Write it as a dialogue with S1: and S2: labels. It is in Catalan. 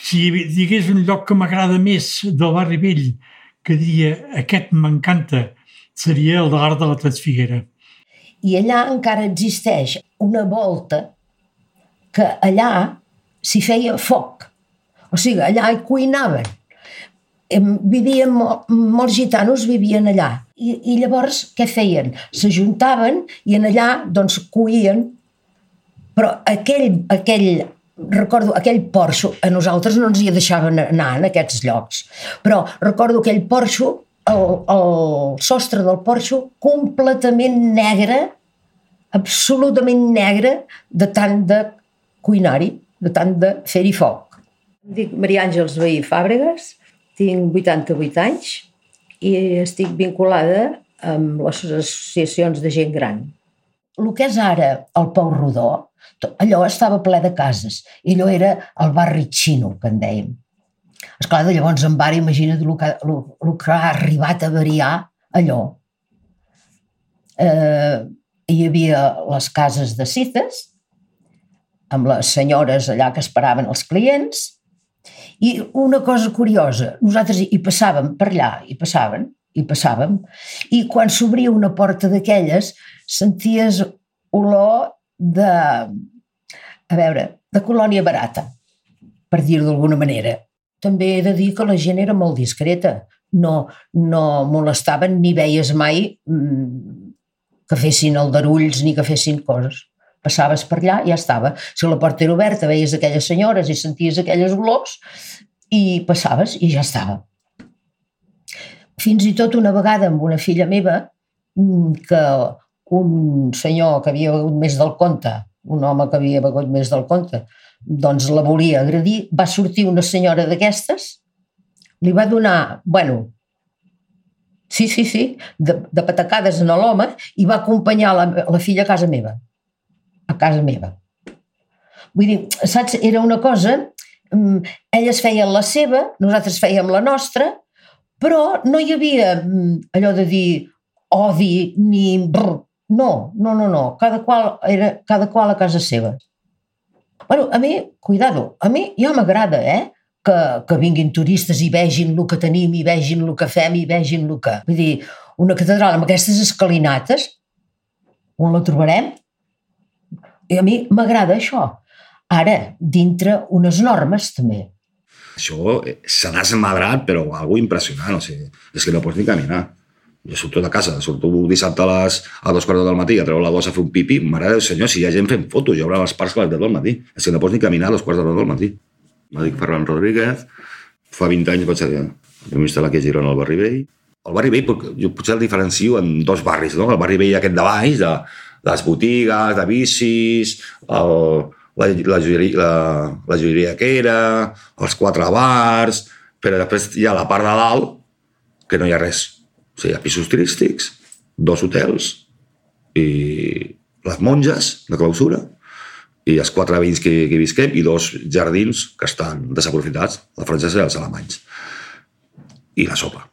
S1: Si digués un lloc que m'agrada més del barri vell, que diria aquest m'encanta, seria el de l'Arc de la Transfiguera.
S2: I allà encara existeix una volta que allà s'hi feia foc. O sigui, allà hi cuinaven. Vivien, molts gitanos vivien allà. I llavors què feien? S'ajuntaven i en allà doncs cuien. Però recordo aquell porxo, a nosaltres no ens hi deixaven anar en aquests llocs, però recordo aquell porxo, el sostre del porxo completament negre, absolutament negre, de tant de cuinar-hi, de tant de fer-hi foc. Em dic Maria Àngels Vehí Fàbregas, tinc 88 anys i estic vinculada amb les associacions de gent gran. El que és ara el Pou Rodó, allò estava ple de cases i allò era el barri xino, que en dèiem. Esclar, de llavors en bar, imagina't el que ha arribat a variar allò. Hi havia les cases de cites, amb les senyores allà que esperaven els clients, i una cosa curiosa, nosaltres hi passàvem per allà, hi passàvem, i quan s'obria una porta d'aquelles senties olor de colònia barata, per dir-ho d'alguna manera. També he de dir que la gent era molt discreta, no molestaven ni veies mai que fessin aldarulls ni que fessin coses. Passaves per allà i ja estava. Si la porta era oberta veies aquelles senyores i senties aquelles olors i passaves i ja estava. Fins i tot una vegada amb una filla meva que un senyor que havia begut més del compte, un home que havia begut més del compte, doncs la volia agredir, va sortir una senyora d'aquestes, li va donar, de patacades en l'home i va acompanyar la filla a casa meva. Vull dir, saps, era una cosa, elles feien la seva, nosaltres fèiem la nostra, però no hi havia allò de dir odi ni brr. No, cada qual a casa seva. A mi, cuidado, a mi ja m'agrada, que vinguin turistes i vegin el que tenim, i vegin el que fem, i vegin el que... Vull dir, una catedral amb aquestes escalinates, on la trobarem? I a mi m'agrada això. Ara, dintre unes normes, també.
S3: Això se n'ha esmadrat, però algo impressionant, o sigui, és que no pots ni caminar. Jo surto de casa, surto dissabte a 2:15 del matí, a treure la gossa a fer un pipí, mare del senyor, si hi ha gent fent fotos, hi haurà els parcs a les 10 del matí. És que no pots ni caminar a 2:15 del matí. Me dic Ferran Rodríguez, fa 20 anys vaig ser el primer instal·lar aquí a Girona al barri vell. El barri vell, jo potser el diferencio en dos barris, no? El barri vell aquest de baix, de les botigues, de bicis, la joieria que era, els 4 bars, però després hi ha la part de dalt que no hi ha res. O sigui, hi ha pisos turístics, 2 hotels i les monges de clausura i els 4 veïns que hi visquem i 2 jardins que estan desaprofitats, la francesa i els alemanys. I la sopa.